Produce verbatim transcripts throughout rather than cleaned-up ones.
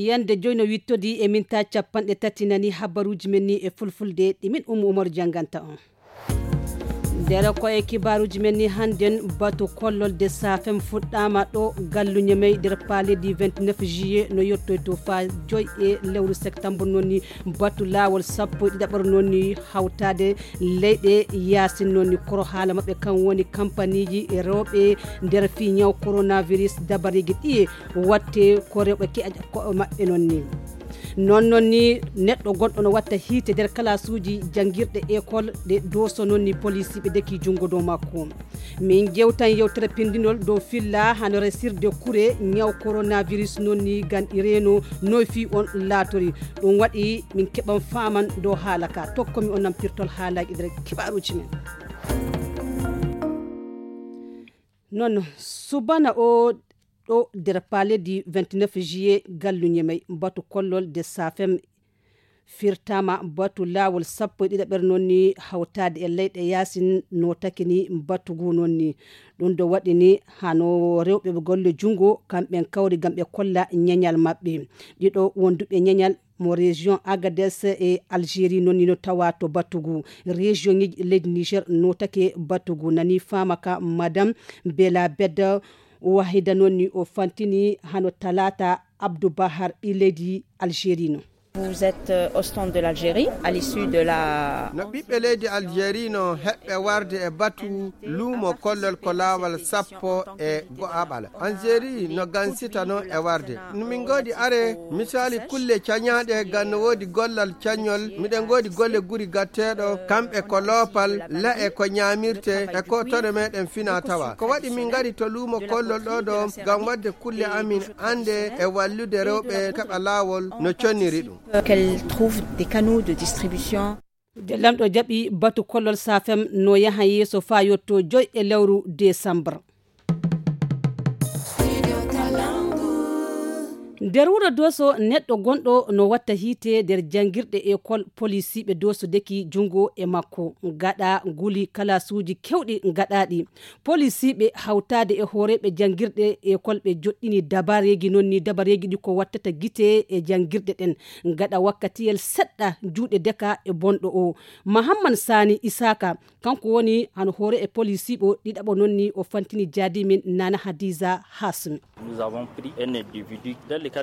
Yande joy no wittodi e minta capanɗe tati nani habaruji men ni e fulfulde ɗi min Ummu Umaru janganta on. Nder ko e kibaruji men ni hannden batu kollol de safem fuɗɗama ɗo gallu Ñamey nder paledi vingt-neuf juillet no yottoy to fa joy e lewru septembre noon ni batu lawol sappo e ɗiɗaɓar noon ni hawtade leyɗe yasin noon ni koro haala maɓɓe kan woni kampaniji e rewɓe nder fi ñaw coronavirus dabariji ɗiye watte ko rewɓe keƴa koɓe maɓɓe noon ni. Noon noon ni neɗɗo gonɗo no watta hiite nder kalasuuji janngirɗe école ɗe dooso noon ni polisiiɓe deki junngo dow makko. Min jewtan yewtere pindinol dow filla hano resirde kure ñaw coronavirus noon ni ganɗi reeno noy fii on laatori. Ɗum waɗi min keɓan faaman dow haala ka tokkomi on nan pirtol haalaaji nder kibaaruuji men. Noon subana o ɗo nder paledi vingt-neuf juillet gallu Ñamey batu kollol de safem firtama batu lawol sappo e ɗiɗaɓere noon ni hawtade e leyɗe yasin notake ni batu ngu noon ni. Ɗum ɗo waɗi ni hano rewɓe ɓe golle junngo kamɓen kawri ngam ɓe kolla ñeñal maɓɓe. Ɗiɗo wonduɓe ñeñal mo région Agadez e Algérie noon ni no tawa to batu ngu. Région ŋeji leydi Niger notake batu ngu nani fama ka madame Bela Bed Wahida noon ni o fantini hano talata Abdou Bahar ɓi leydi Algérie no. Vous êtes euh, au stand de l'Algérie à l'issue de la... No ɓiɓɓe leydi Algérie no heɓɓe warde e batu luumo kollol ko laawol sappo e go'aɓal. Algérie no gansita noon e warde. No min ngoodi are misali kulle cañaaɗe ngan no woodi gollal cañol. Miɗen ngoodi golle guri gatteeɗo kamɓe ko loopal, la'e ko ñaamirte e ko tone meɗen fina tawa. Ko waɗi min ngari to luumo kollol ɗo ɗo ngam waɗde kulle amin annde e wallude rewɓe keɓa laawol no conniri ɗum. Qu'elle trouve des canaux de distribution. De lamɗo jaɓi batu kollol safem no yaha yeeso faa yotto joy e lewru décembre. Nder wuro doso neɗɗo gonɗo no watta hiite nder janngirɗe école polisiiɓe doso deki junngo e makko gaɗa nguli kalasuuji kewɗi gaɗaɗi. Polisiiɓe hawtaade e hooreeɓe janngirɗe école ɓe joɗɗini dabareeji noon ni dabareeji ɗi ko wattata gite e janngirɗe ɗen gaɗa wakkatiyel seɗɗa juuɗe deka e bonɗo o. Mahamman Sani Isaka kanko woni hano hoore e polisiiɓo ɗiɗaɓo noon ni o fantini jaadi min Nana Hadiza Hasmi.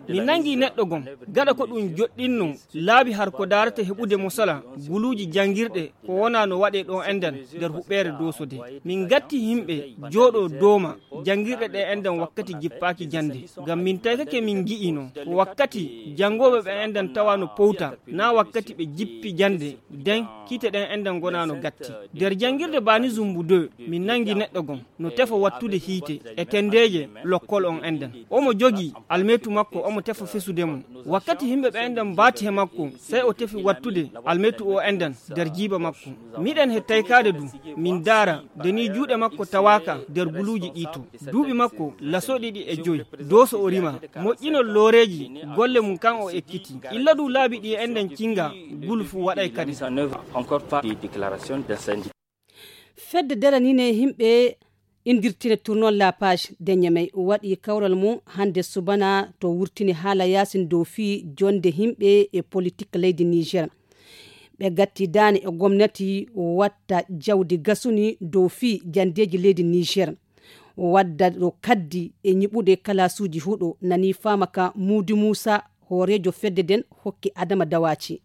Min nangi neɗɗo gom gaɗa ko ɗum joɗɗinno laabi har ko daarata heɓude mosala guluuji janngirɗe ko wona no waɗe ɗo enɗan nder huɓeere dosode. Min gatti yimɓe jooɗo dooma janngirɗe ɗe enɗan wakkati jippaaki jannde. Ngam min taykake min ngi'ino ko wakkati janngooɓe ɓe enɗan tawa no powta na wakkati ɓe jippi jannde. Den kiite ɗen enɗan ngona no gatti. Nder janngirde bani zumbu deux min nangi neɗɗo gom no tefa wattude hiite e tendeeje lokkol on enɗan. Omo jogii almeetu makko omo tefa fesude mo. Wakkati yimɓe ɓe enɗan mbaati he makko sey o tefi wattude almeetu o enɗan nder jiiba makko. Miɗen he taykaade du min daara de ni juuɗe makko tawaaka nder guluuji ɗi to duuɓi makko laso ɗiɗi e joy. Doso o rima moƴƴinol looreeji golle mum kan o ekkiti. Illa du laabi ɗi enɗan cinga gulu fuu waɗay kadi. Fedde daranine yimɓe indirtine tournol la page de Ñamey waɗi kawral mum hannde subana to wurtini haala yaasin dow fii jonde yimɓe e politik leydi Niger. Ɓe gatti daane e gomnati watta jawdi gasuni dow fii jandeeji leydi Niger. Wadda ɗo kaddi e ñiɓude kalasuuji huɗo nani faama ka Muudi Muusa hooreejo fedde nden hokki Adama Dawaaci.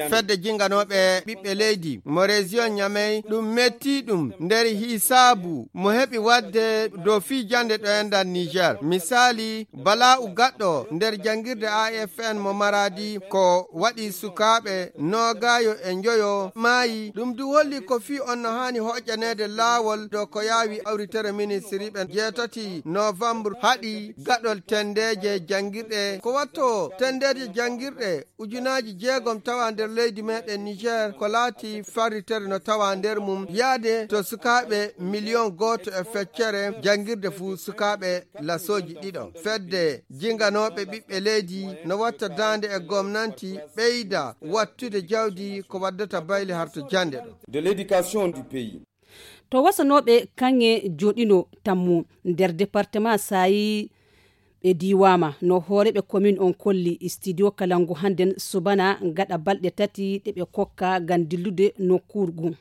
Fedde jinganooɓe ɓiɓɓe leydi mo région Ñamey ɗum metti ɗum nder hisaabu mo heɓi waɗde dow fii jannde ɗo enɗan Niger. Misaali, bala'u gaɗɗo nder janngirde A F N mo Maradi ko waɗi sukaaɓe noogaayo e njoyo maayi. Ɗum du holli ko fii on no haani hoƴƴaneede laawol dow ko yaawi awritere ministiriiɓe jeetati novembre haɗi gaɗol tendeeje janngirɗe. Ko watto tendeeje janngirɗe ujunaaji jeegom tawa nder leydi meɗen Niger ko laati farritere no tawa nder mum yaade to sukaaɓe miliyon gooto e feccere janngirde fuu sukaaɓe lasooji ɗiɗo. Fedde jinganooɓe ɓiɓɓe leydi no watta daande e gomnanti ɓeyda wattude jawdi ko waddata bayle harto jannde ɗo. De l'éducation du pays. To wasanooɓe kaŋŋe jooɗino tammu nder département Saayi, E diiwaama no hooreeɓe komin on kolli studio kalangu hannden subana gaɗa balɗe tati ɗe ɓe kokka ngam dillude nokkuuru ngun.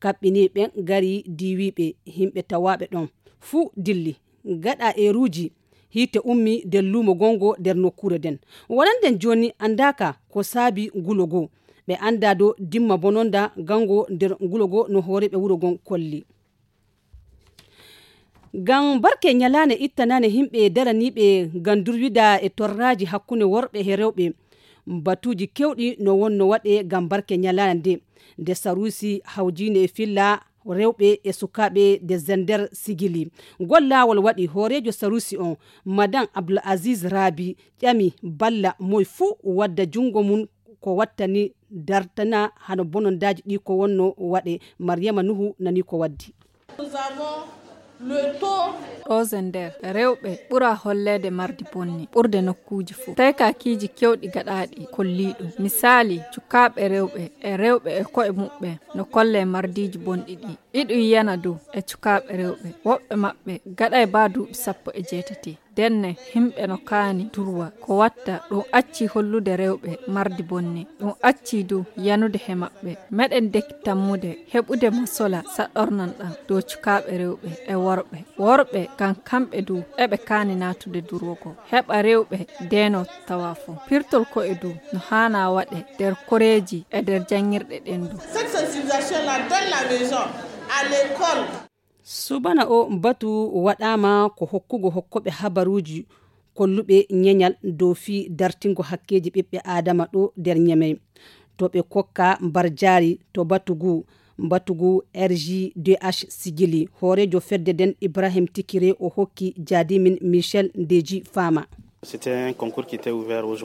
Kaɓɓiniiɓe ngari diiwiiɓe yimɓe tawaaɓe ɗon fuu dilli gaɗa eeruuji hiite ummi nder luumo gongo nder nokkuure nden. Wonannden jooni anndaaka ko saabi ngulo goo. Ɓe anndaa dow dimma bononda gango nder ngulo goo no hooreeɓe wuro ngon kolli. Ngam barke ñalaande ittanaande yimɓe daraniiɓe ngam durwida e torraaji hakkunde worɓe e rewɓe, batuuji keewɗi no wonno waɗe ngam barke ñalaande nde. Nde saruusi hawjiinde e filla rewɓe e sukaaɓe nde Zender sigili. Ngol laawol waɗi hooreejo saruusi on, Madan Abdul Aziz Rabi, ƴami balla moy fuu wadda junngo mum ko wattani dartana hano bonondaaji ɗi ko wonno waɗe. Mariyama Nuhu nani ko waddi. Ɗo Zender, rewɓe ɓura holleede mardi bonni ɓurde nokkuuji fof. Tawi kakiiji keewɗi gaɗaaɗi kollii ɗum. Misaali, cukaaɓe rewɓe e rewɓe e ko'e muɓɓen no kollee mardiiji bonɗi ɗi. Iɗum yana dow e cukaaɓe rewɓe. Woɓɓe maɓɓe gaɗay baa duuɓi sappo e jeetati. Ndenne, yimɓe no kaani durwa. Ko watta, ɗum accii hollude rewɓe mardi bonni. Ɗum accii du yanude he maɓɓe. Meɗen deki tammude heɓude masola saɗɗornan ɗam dow cukaaɓe rewɓe e worɓe. Worɓe, ngam kamɓe du eɓe kaani naatude durwogol. Heɓa rewɓe ndeenoo tawa fof. Pirtol ko'e du no haana waɗe nder koreeji e nder janngirɗe ɗen du. Subana o batu waɗaama ko hokkugo hokkooɓe habaruuji kolluɓe ñeñal dow fii dartingo hakkeeji ɓiɓɓe aadama ɗo nder Ñemey. To ɓe kokka mbarjaari to batu ngu, batu ngu R J D H sigili. Hooreejo fedde nden Ibrahim Tikire o hokki jaadimin Michel Ndeji Fama.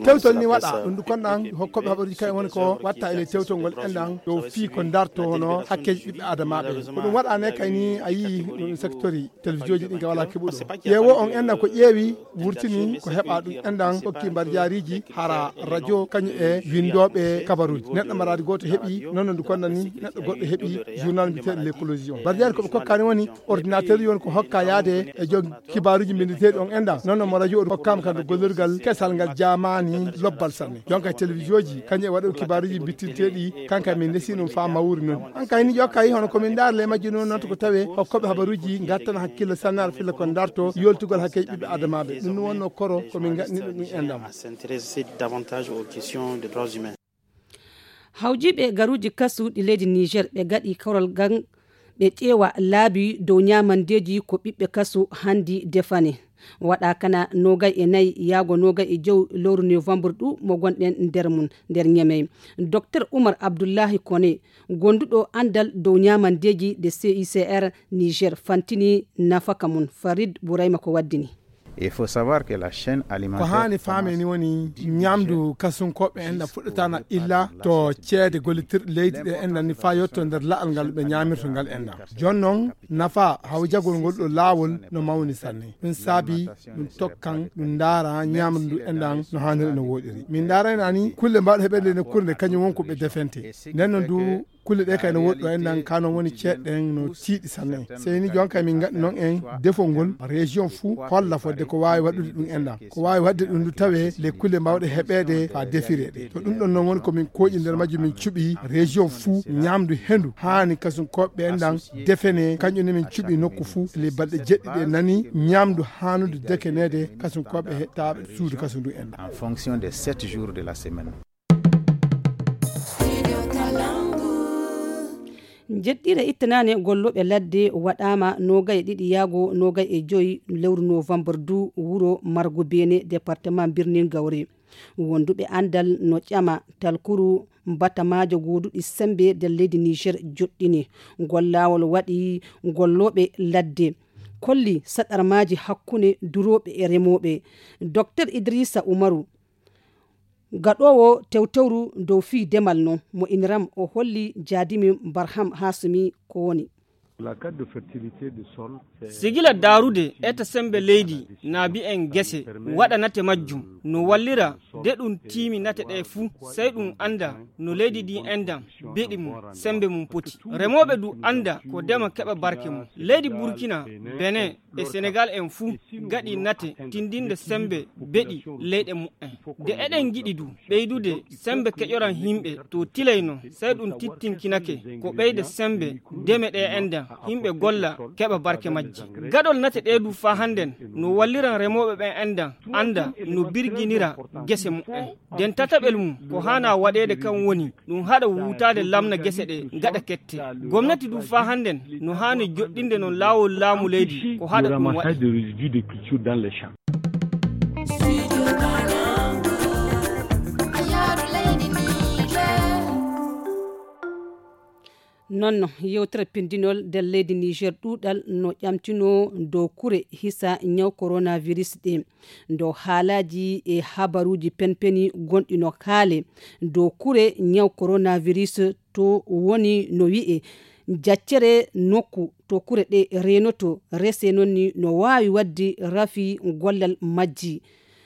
Tewtol ni waɗa ɗum ndu konɗan hokkooɓe habaruuji kay woni ko watta e ley tewtol ngol enɗan dow fii ko darto hono hakkeeji ɓiɓɓe adamaaɓe. Ko ɗum waɗa ne kay ni a yii ɗum secteur televisiooji ɗin ka wala keɓuɗo ƴeewo on enɗan ko ƴeewi wurtini ko heɓa ɗum enɗan hokki mbarjaariiji hara radio kañum e winndooɓe kabaruuji. Neɗɗo maraade gooto heɓi noon no ndu konɗan ni neɗɗo goɗɗo heɓi journal mbiyeteeɗo l'écologie on. Mbarjaari ko ɓe kokkani woni ordinateur yon ko hokka yaade e jom kibaaruuji mbindeteeɗi on enɗan noon no mo radio o hokkaama ka nde gollorgal kesal ngal jaamaani lobbal sanne. Jonka e télévision ji kañum e waɗo kibaaruuji mbittinteeɗi kanka min ndesi ɗum faa mawri noon. An kay ni ƴokka yi hono ko min ndaarle majji noon noon to ko tawee hokkooɓe habaruuji ngartana hakkille sanne ara filla ko ndarto yoltugol hakkeeji ɓiɓɓe adamaaɓe. Ɗum no wonno koro ko min ngaɗni ɗum ɗum enɗan. Hawjiiɓe garuuji kasu ɗi leydi Niger ɓe gaɗi korol gan ɓe ƴeewa laabi dow ñaamandeeji ko ɓiɓɓe kasu hanndi defani. Waɗa kana noogay e nayi yaago noogay e jow lowru novembre ɗu mo gonɗen nder mum nder Ñemey. Docteur Umar Abdullahi Kone, gonduɗo anndal dow ñaamandeeji nde C I C R Niger fantini nafaka mum. Farid Burayma ko waddini. Il faut savoir que la chaîne alimentaire. Ko haani faamee ni woni ñaamdu kasunkooɓe en na fuɗɗataana illa to ceede gollitirɗe leydi ɗe en nani faa yotto nder la'al ngal ɓe ñaamirto ngal en na. Jooni noon nafa hawjagol ngol ɗo laawol no mawni sanne. Ɗum saabi ɗum tokkan ɗum ndaara ñaamdu ndu en ɗan no haaniri no wooɗiri. Min ndaarayno ani kulle mbawɗe heɓeede nokkuure nde kañum won ko ɓe defente. Nden noon du kulle ɗe kay no woɗɗo en nan kano woni ceeɗɗen no tiiɗi sanne. Sey ni jonka min gaɗi noon en defol ngol région fuu holla fodde ko waawi waɗude ɗum en ɗan ko waawi waɗde ɗum du tawe les kulle mbawɗe heɓeede faa defireede. To ɗum ɗon noon woni ko min kooƴi nder majjum min cuɓi région fuu ñaamdu hendu haani kasum koɓɓe en ɗan defene kañum ne min cuɓi nokku fuu les balɗe jeɗɗi ɗe nani ñaamdu haanude dekeneede kasum koɓɓe hettaaɓe suudu kasum ndu en ɗan. En fonction des sept jours de la semaine. Njeɗɗire ittanaane gollooɓe ladde waɗaama noogay e ɗiɗi yaago noogay e joyi lewru novembre du wuro margo beene département birnin gawre. Wonduɓe anndal no ƴama talkuru batamaajo gooduɗi sembe nder leydi niger joɗɗini ngol laawol waɗi gollooɓe ladde kolli saɗarmaaji hakkunde durooɓe e remooɓe. Docteur idrissa umaru gaɗoowo tewtewru dow fii demal non mo iniram o holli jaadimi barham hasumi ko woni. La carte de fertilité du sol, c'est sigila daarude eta sembe leydi, naabi en gese, waɗa nate majjum, no wallira de ɗum tiimi nate ɗe fuu, sey ɗum annda no leydi ndi endan beɗi mum, sembe mum poti. Remooɓe du annda ko dema keɓa barke mum. Leydi Burkina, Benin e Senegal en fuu gaɗi nate tindinde sembe beɗi leyɗe mumen. De eɗen ngiɗi du ɓeydude sembe keƴoran yimɓe to tilay non, sey ɗum tittinkinake ko ɓeyde sembe deme ɗe endan, yimɓe golla keɓa barke majji. Gaɗol nate ɗe du faa hannden no walliran remooɓe ɓen endan, annda no birginira gese mumen. Den tataɓel mum ko haana waɗeede kan woni ɗum haɗa wuutaade lamna gese ɗe gaɗa kette. Gomnati du faa hannden no haani joɗɗinde non laawol laamu leydi ko haɗa ɗum waɗa. Nonno yewtere pindinol nder leydi Niger ɗuuɗal no ƴamtino dow kure hisa ñaw coronavirus ɗe. Dow haalaaji e habaruuji penpeni gonɗi no kaale dow kure ñaw coronavirus to woni no wi'e jaccere nokku to kure ɗe reenoto rese noon ni no waawi waɗde rafi gollal majji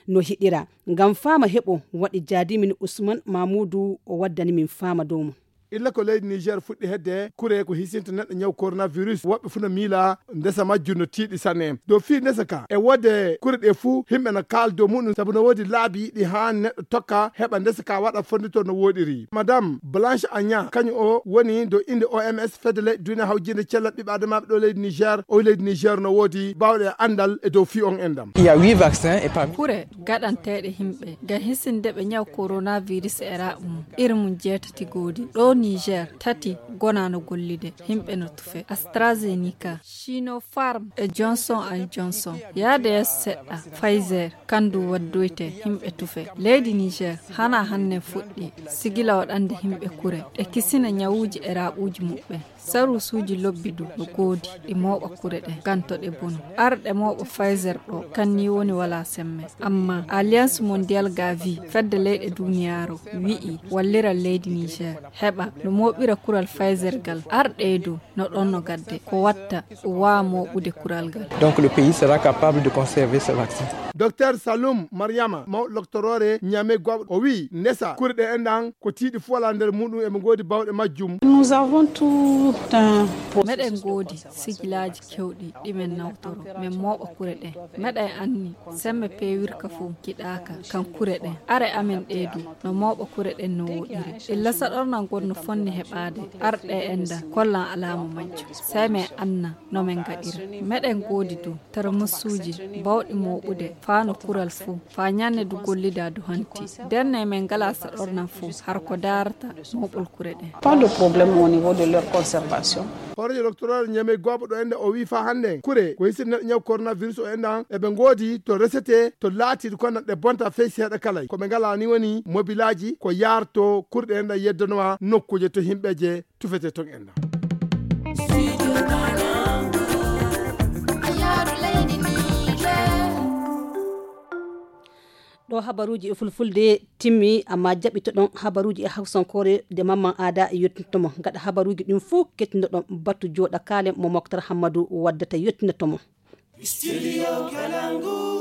no hiɗira. Ngam faama heɓo waɗi jaadimin Usman Mamuudu o waddani min faama dow mum. Illa ko leydi Niger fuɗɗi hedde kure ko hisinta neɗɗo ñaw coronavirus, woɓɓe fuu no miila ndesa majjum no tiiɗi sanne. Dow fii ndesa ka, e wode kure ɗe fuu, himɓe no kaal dow muɗum, sabu no woodi laabi ɗi haan neɗɗo tokka heɓa ndesa ka waɗa fondito no woɗiri. Madame Blanche Anya, kañum o woni dow innde O M S, fedde leyɗe duniya hawjinde cellal ɓiɓɓe adamaaɓe ɗo leydi Niger. O leydi Niger no woodi baawɗe e anndal e dow fii on enɗam. Il y a huit vaccins et parmi kure gaɗanteeɗe himɓe ngam hisinde ɓe ñaw coronavirus e raɓu mum. Iri mum jeetati goodi. Ɗo Niger, tati gona no gollude. Himɓe no tufe. AstraZeneca, Sinopharm e Johnson and Johnson. Yaade yeeso seɗɗa, Pfizer, kandu waddoyte himɓe tufe. Leydi Niger, hana hanne fuɗɗi, sigila waɗande himɓe kure. Ɗe kisina ñawuuji e raɓuuji muɓɓen. Saruusuuji lobbi du no goodi, ɗi mooɓa kure ɗen, ganto ɗe bono. Arɗe mooɓa Pfizer ɗo, kan ni woni wala semme. Amma Alliance Mondiale Gavi, fedde leyɗe duniyaaru, wi'i wallira leydi Niger, heɓa no mooɓira kural Pfizer gal. Arɗe du no ɗon no gadde, ko watta ɗum waawa mooɓude kural gal. Donc le pays sera capable de conserver ce vaccin. Docteur Saloum Mariama, mawɗo loktoroore Niamey Goɓo, o wi'i, ndesa kure ɗe enɗan ko tiiɗi fuu alaa nder muɗum, eɓe ngoodi bawɗe majjum. Nous avons tout un processus. Meɗen ngoodi sigilaaji kewɗi ɗi men nawtoro, men mooɓa kure ɗe. Meɗen anni semme peewirka fof kiɗaaka kan kure ɗen. Are amen ɗee du no mooɓa kure ɗen no woɗiri. Illa saɗornal ngol no fonni heɓaade, arɗe enɗan kollan alaama majjum. Sey men anna no men ngaɗira. Meɗen ngoodi du tarmusuuji bawɗi mooɓude faa no kural fof, faa ñanne du gollida du hanti. Ndenne men ngalaa saɗornal fof, har ko daarata mooɓol kure ɗen. Pas de problème au niveau de leur conservation. Hooreejo loktoroore Niamey Goɓo ɗo enɗan o wi'i faa hannde kure ko hisinde neɗɗo ñaw coronavirus o enɗan eɓe ngoodi to resete, to laatiiɗi kono ɗe bonta fey seeɗa kalay. Ko ɓe ngalaa ni woni mobilaaji ko yaarto kure ɗe enɗan yeddanowa nokkuuje to himɓeeje tufete ton enɗan. Ɗo habaruuji e fulfulde timmi, amma jaɓitoɗon habaruuji e hawsankoore de Mamman Aada yottinto mo. Gaɗa habaruuji ɗin fuu, kettinɗon batu jooɗa kaale mo Moktar Hammadu waddata yottinto mo. Studio Kalangu.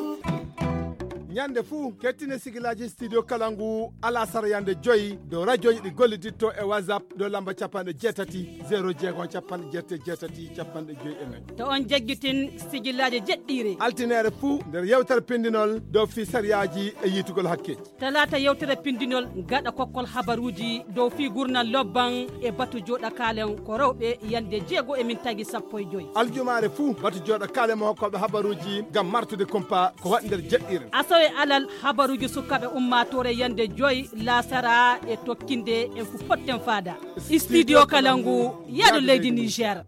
Ñande fuu, kettine sigilaaji Studio Kalangu alasara yande joyi dow rajooji ɗi golliditto e WhatsApp dow lamba capanɗe jeetati, zéro jeegom, capanɗe jeetati e jeetati, capanɗe joyi e nayi. To on jaggitin sigilaaji jeɗɗiire. Altineere fuu nder yewtere pindinol dow fii sariyaaji e yiitugol hakke. Talaata yewtere pindinol gaɗa kokkol habaruuji dow fii gurnal lobban e batu jooɗa kaalen ko rewɓe yande jeego e min tagi sappo e joyi. Aljumaare fuu batu jooɗa kaalen mo hokkooɓe habaruuji ngam martude kumpa ko waɗi nder jeɗɗiire. Asawe alal habaruuji sukaaɓe ummaatoore yande joyi laasara e tokkinde en fu potten faada. Studio Kalangu, yaadu leydi Niger.